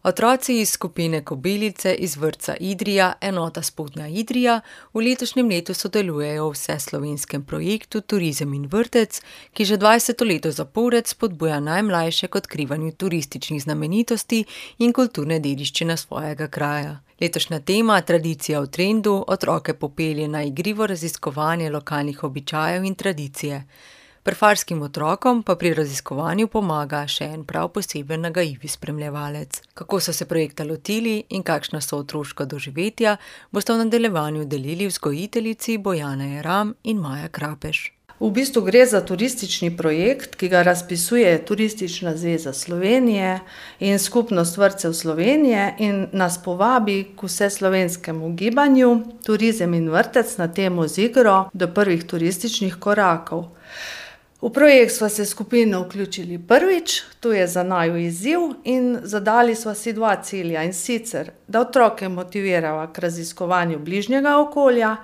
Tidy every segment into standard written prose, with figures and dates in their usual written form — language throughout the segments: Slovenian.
Otroci iz skupine Kobilice iz vrtca Idrija, enota Spodnja Idrija, v letošnjem letu sodelujejo v vseslovenskem projektu Turizem in vrtec, ki že 20. leto zapored spodbuja najmlajše k odkrivanju turističnih znamenitosti in kulturne dediščine svojega kraja. Letošnja tema, tradicija v trendu, otroke popelje na igrivo raziskovanje lokalnih običajev in tradicije. Prfarskim otrokom pa pri raziskovanju pomaga še en prav poseben nagajivi spremljevalec. Kako so se projekta lotili in kakšna so otroška doživetja, boste v nadaljevanju delili vzgojiteljici Bojana Jeram in Maja Krapeš. V bistvu gre za turistični projekt, ki ga razpisuje Turistična zveza Slovenije in Skupnost vrtcev Slovenije in nas povabi k vseslovenskemu gibanju Turizem in vrtec na temo z igro do prvih turističnih korakov. V projekt sva se skupino vključili prvič, to je za naju izziv in zadali sva si 2 cilja, in sicer, da otroke motivirava k raziskovanju bližnjega okolja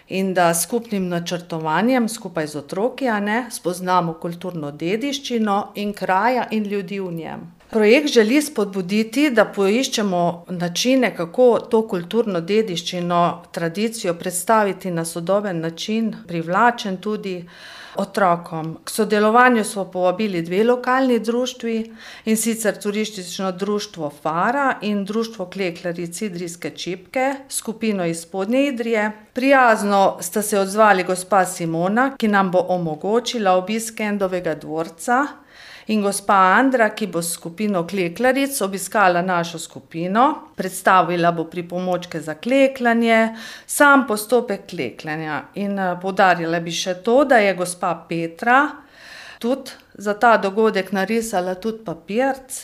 in da s skupnim načrtovanjem skupaj z otroki, spoznamo kulturno dediščino in kraja in ljudi v njem. Projekt želi spodbuditi, da poiščemo načine, kako to kulturno dediščino, tradicijo predstaviti na sodoben način, privlačen tudi otrokom. K sodelovanju smo povabili 2 lokalni društvi, in sicer Turistično društvo Fara in Društvo klekljaric Idrijske čipke, skupino iz Spodnje Idrije. Prijazno sta se odzvali gospa Simona, ki nam bo omogočila obisk Kendovega dvorca, in gospa Andra, ki bo s skupino klekljaric obiskala našo skupino, predstavila bo pripomočke za klekljanje, sam postopek klekljanja. In poudarila bi še to, da je gospa Petra tudi za ta dogodek narisala tudi papirc,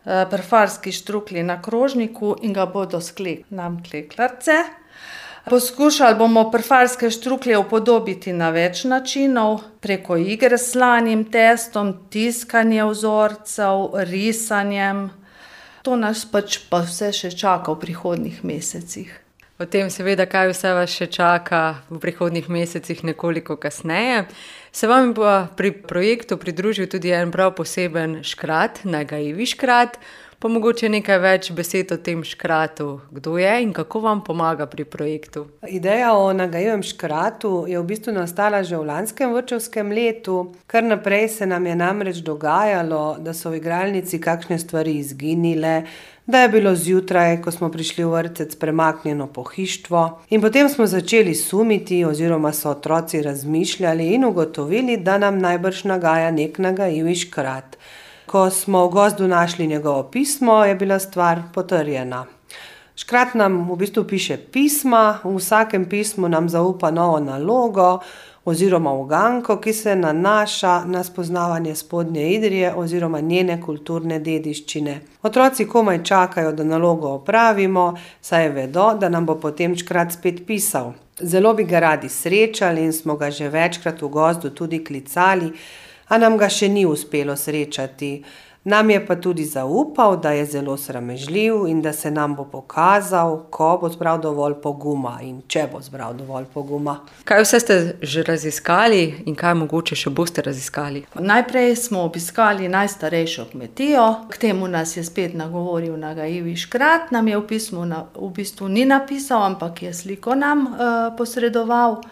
prfarski štruklji na krožniku, in ga bodo nam klekljarice. Poskušali bomo prfarske štruklje upodobiti na več načinov, preko igre s slanim testom, tiskanje vzorcev, risanjem. To nas pa vse še čaka v prihodnjih mesecih. O tem seveda, kaj vse vas še čaka v prihodnjih mesecih, nekoliko kasneje. Se vam pa pri projektu pridružil tudi en prav poseben škrat, nagajivi škrat. Pa mogoče nekaj več besed o tem škratu. Kdo je in kako vam pomaga pri projektu? Ideja o nagajivem škratu je v bistvu nastala že v lanskem vrtčevskem letu. Kar naprej se nam je namreč dogajalo, da so v igralnici kakšne stvari izginile, da je bilo zjutraj, ko smo prišli v vrtec, premaknjeno pohištvo. In potem smo začeli sumiti oziroma so otroci razmišljali in ugotovili, da nam najbrž nagaja nek nagajivi škrat. Ko smo v gozdu našli njegovo pismo, je bila stvar potrjena. Škrat nam v bistvu piše pisma, v vsakem pismu nam zaupa novo nalogo oziroma uganko, ki se nanaša na spoznavanje Spodnje Idrije oziroma njene kulturne dediščine. Otroci komaj čakajo, da nalogo opravimo, saj vedo, da nam bo potem škrat spet pisal. Zelo bi ga radi srečali in smo ga že večkrat v gozdu tudi klicali, a nam ga še ni uspelo srečati. Nam je pa tudi zaupal, da je zelo sramežljiv in da se nam bo pokazal, ko bo zbral dovolj poguma in če bo zbral dovolj poguma. Kaj vse ste že raziskali in kaj mogoče še boste raziskali? Najprej smo obiskali najstarejšo kmetijo, k temu nas je spet nagovoril nagajivi škrat. Nam je v pismu v bistvu ni napisal, ampak je sliko nam posredoval.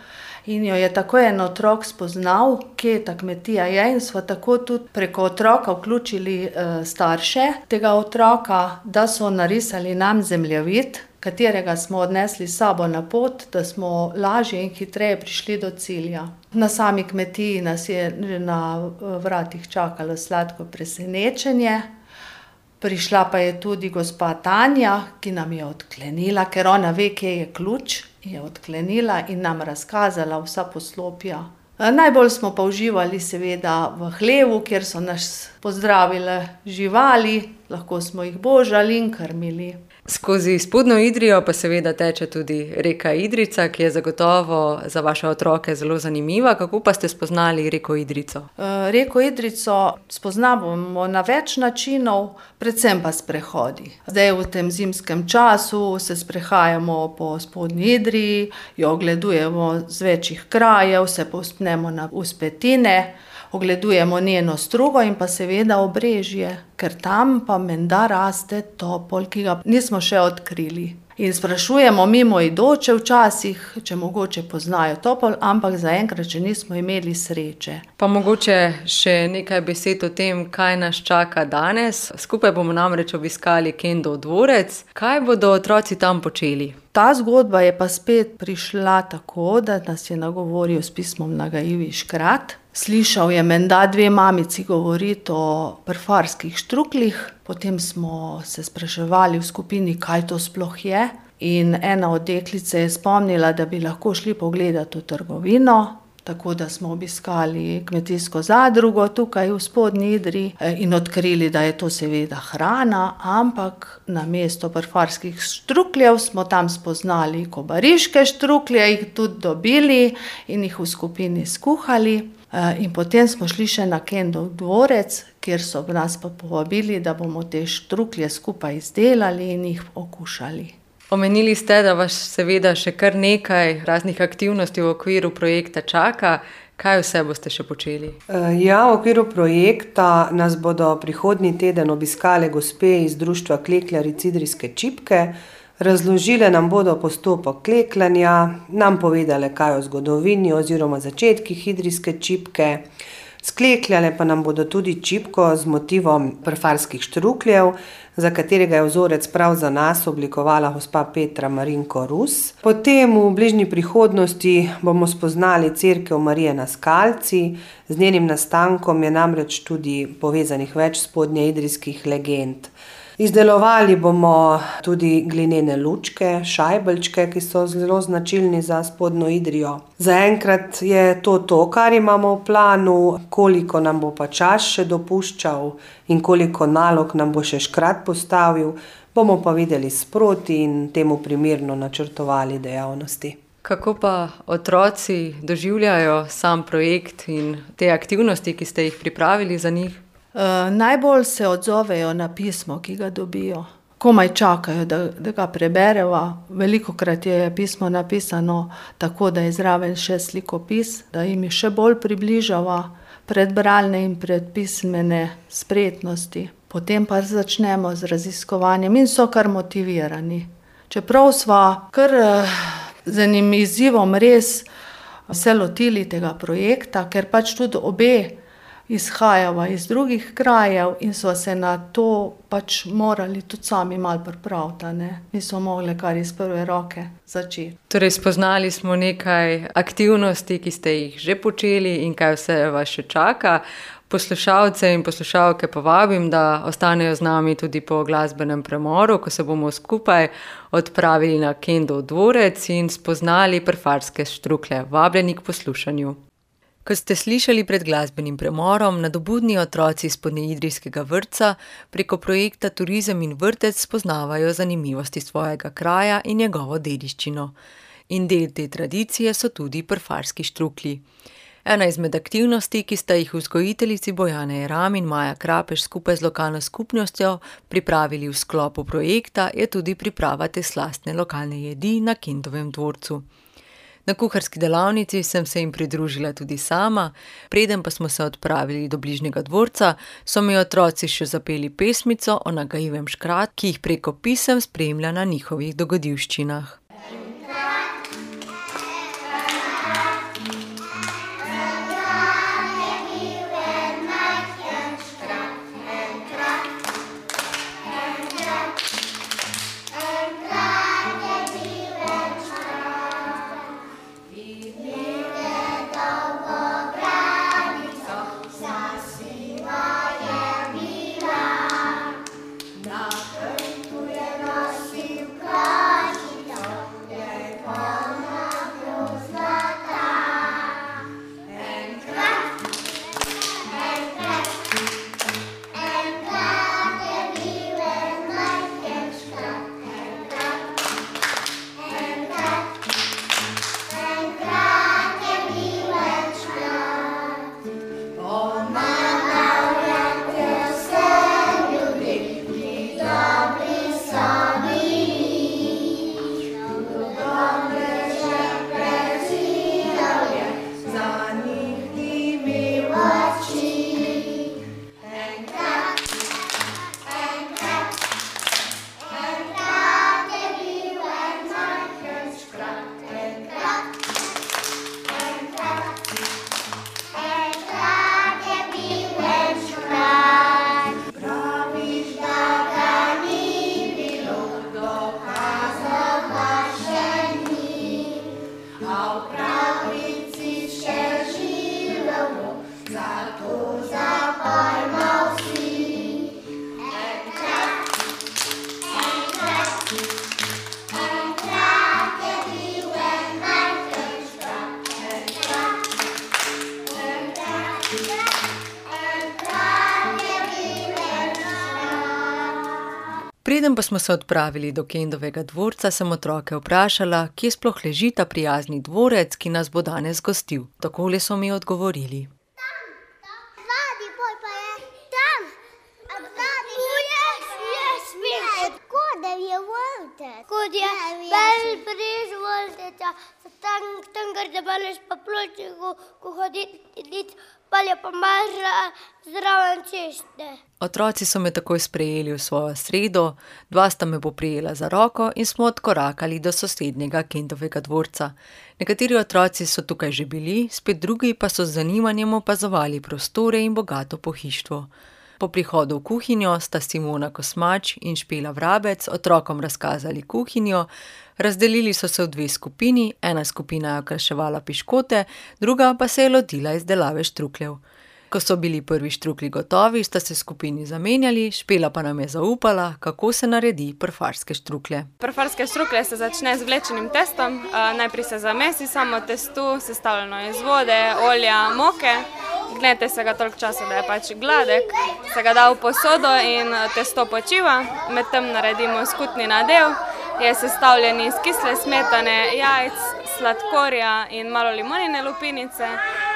In jo je tako en otrok spoznal, kje ta kmetija je, in sva tako tudi preko otroka vključili starše tega otroka, da so narisali nam zemljevid, katerega smo odnesli s sabo na pot, da smo lažje in hitreje prišli do cilja. Na sami kmetiji nas je na vratih čakalo sladko presenečenje. Prišla pa je tudi gospa Tanja, ki nam je odklenila, ker ona ve, kje je ključ, je odklenila in nam razkazala vsa poslopja. Najbolj smo pa uživali seveda v hlevu, kjer so nas pozdravile živali, lahko smo jih božali in krmili. Skozi Spodnjo Idrijo pa seveda teče tudi reka Idrijca, ki je zagotovo za vaše otroke zelo zanimiva. Kako pa ste spoznali reko Idrijco? Reko Idrijco spoznavamo na več načinov, predvsem pa s sprehodi. Zdaj v tem zimskem času se sprehajamo po Spodnji Idriji, jo ogledujemo z večjih krajev, se povzpnemo na vzpetine, ogledujemo njeno strugo in pa seveda obrežje, ker tam pa menda raste topol, ki ga nismo še odkrili. In sprašujemo mimoidoče včasih, če mogoče poznajo topol, ampak zaenkrat še nismo imeli sreče. Pa mogoče še nekaj besed o tem, kaj nas čaka danes. Skupaj bomo namreč obiskali Kendov dvorec. Kaj bodo otroci tam počeli? Ta zgodba je pa spet prišla tako, da nas je nagovoril s pismom nagajivi Škrat. Slišal je menda 2 mamici govoriti o prfarskih štruklih, potem smo se spraševali v skupini, kaj to sploh je. In ena od deklic se je spomnila, da bi lahko šli pogledati v trgovino, tako da smo obiskali kmetijsko zadrugo tukaj v Spodnji Idriji in odkrili, da je to seveda hrana, ampak namesto prfarskih štrukljev smo tam spoznali kobariške štruklje, jih tudi dobili in jih v skupini skuhali. In potem smo šli še na Kendov dvorec, kjer so nas pa povabili, da bomo te štruklje skupaj izdelali in jih okušali. Omenili ste, da vas seveda še kar nekaj raznih aktivnosti v okviru projekta čaka. Kaj vse boste še počeli? Ja, v okviru projekta nas bodo prihodnji teden obiskale gospe iz društva klekljaric Idrijske čipke. Razložile nam bodo postopek klekljanja, nam povedale kaj o zgodovini oziroma začetkih idrijske čipke. Sklekljale pa nam bodo tudi čipko z motivom prfarskih štrukljev, za katerega je vzorec prav za nas oblikovala gospa Petra Marinko Rus. Potem v bližnji prihodnosti bomo spoznali cerkev Marije na Skalci. Z njenim nastankom je namreč tudi povezanih več spodnjeidrijskih legend. Izdelovali bomo tudi glinene lučke, šajbelčke, ki so zelo značilni za Spodnjo Idrijo. Zaenkrat je to, kar imamo v planu, koliko nam bo pa čas še dopuščal in koliko nalog nam bo še Škrat postavil, bomo pa videli sproti in temu primerno načrtovali dejavnosti. Kako pa otroci doživljajo sam projekt in te aktivnosti, ki ste jih pripravili za njih? Najbolj se odzovejo na pismo, ki ga dobijo. Komaj čakajo, da ga prebereva. Velikokrat je pismo napisano tako, da je zraven še slikopis, da jim je še bolj približava predbralne in predpismene spretnosti. Potem pa začnemo z raziskovanjem in so kar motivirani. Čeprav sva kar z enim izzivom res se lotili tega projekta, ker pač tudi obe izhajava iz drugih krajev in so se na to pač morali tudi sami malo pripraviti, ne. Nismo mogli kar iz prve roke začeti. Torej, spoznali smo nekaj aktivnosti, ki ste jih že počeli in kaj vse vas še čaka. Poslušalce in poslušalke povabim, da ostanejo z nami tudi po glasbenem premoru, ko se bomo skupaj odpravili na Kendov dvorec in spoznali prfarske štruklje. Vabljeni k poslušanju. Kot ste slišali pred glasbenim premorom, nadobudni otroci iz spodnjeidrijskega vrtca preko projekta Turizem in vrtec spoznavajo zanimivosti svojega kraja in njegovo dediščino. In del te tradicije so tudi prfarski štruklji. Ena izmed aktivnosti, ki sta jih vzgojiteljici Bojana Jeram in Maja Krapež skupaj z lokalno skupnostjo pripravili v sklopu projekta, je tudi priprava te slastne lokalne jedi na Kendovem dvorcu. Na kuharski delavnici sem se jim pridružila tudi sama, preden pa smo se odpravili do bližnjega dvorca, so mi otroci še zapeli pesmico o nagajivem Škratu, ki jih preko pisem spremlja na njihovih dogodivščinah. Preden pa smo se odpravili do Kendovega dvorca, sem otroke vprašala, kje sploh leži ta prijazni dvorec, ki nas bo danes gostil. Takole so mi odgovorili. Zadnji pol pa je tam. Kod je vrtec. Kod je bliž vrteca. Tam gre baleš pa pločniku, ko hoditi, palje pa maža zraven ceste. Otroci so me takoj sprejeli v svojo sredo, dva sta me poprijela za roko in smo odkorakali do sosednjega Kendovega dvorca. Nekateri otroci so tukaj že bili, spet drugi pa so z zanimanjem opazovali prostore in bogato pohištvo. Po prihodu v kuhinjo sta Simona Kosmač in Špela Vrabec otrokom razkazali kuhinjo, razdelili so se v dve skupini, ena skupina je okraševala piškote, druga pa se je lotila izdelave štrukljev. Ko so bili prvi štruklji gotovi, sta se skupini zamenjali, Špela pa nam je zaupala, kako se naredi prfarske štruklje. Prfarske štruklje se začne z vlečenim testom, najprej se zamesi samo testo, sestavljeno iz vode, olja, moke. Gnete se ga toliko časa, da je pač gladek, se ga da v posodo in testo počiva. Medtem naredimo skutni nadev, je sestavljen iz kisle smetane, jajc, sladkorja in malo limonine lupinice.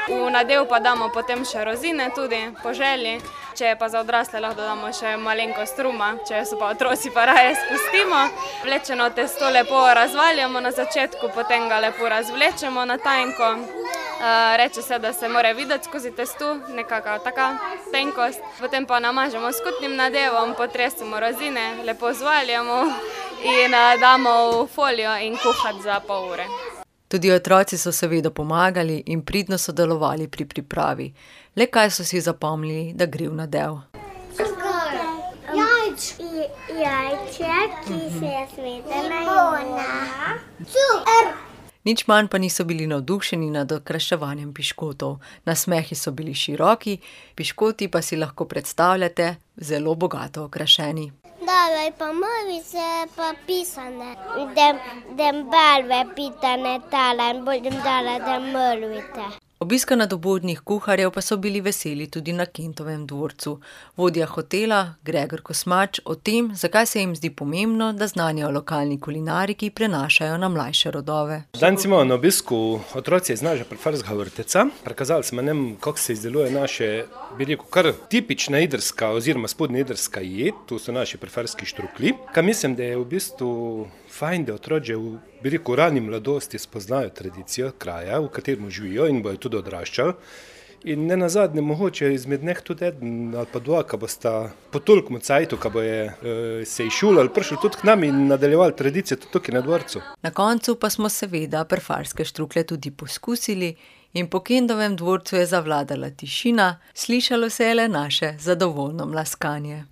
V nadev pa damo potem še rozine tudi, po želji. Če je pa za odrasle, lahko dodamo še malenkost ruma, če so pa otroci pa raje spustimo. Vlečeno testo lepo razvaljamo na začetku, potem ga lepo razvlečemo na tanko. Reče se, da se mora videti skozi testo, nekakva taka tenkost. Potem pa namažemo skutnim nadevom, potresimo rozine, lepo zvaljamo in damo v folijo in kuhati za pol ure. Tudi otroci so seveda pomagali in pridno sodelovali pri pripravi. Le kaj so si zapomnili, da gre v nadev. Jajček, ki se je smetana limona. Nič manj pa niso bili navdušeni nad okraševanjem piškotov. Nasmehi so bili široki, piškoti pa si lahko predstavljate zelo bogato okrašeni. Daj pa mrvice pa pisane, da barve pitane tala in budem dala da mrvice. Obiska nadobudnih kuharjev pa so bili veseli tudi na Kendovem dvorcu. Vodja hotela, Gregor Kosmač, o tem, zakaj se jim zdi pomembno, da znanje o lokalni kulinariki prenašajo na mlajše rodove. Danes imamo na obisku otroci iz našega prefarskega vrteca. Prikazali smo nam, kako se izdeluje naše, bi rekel, kar tipična idrska oziroma spodnja idrska jed, to so naši prefarski štruklji. Kaj mislim, da je v bistvu fajn, da otroci v rani mladosti spoznajo tradicijo kraja, v katerem živijo in bojo tudi odraščali. In ne nazadnje, mogoče izmed njih tudi eden ali pa dva, ki bosta po tolikem cajtu, ki bojo se izšolali, prišli tudi k nam in nadaljevali tradicijo tudi tukaj na dvorcu. Na koncu pa smo seveda prefarske štruklje tudi poskusili in po Kendovem dvorcu je zavladala tišina, slišalo se je le naše zadovoljno mlaskanje.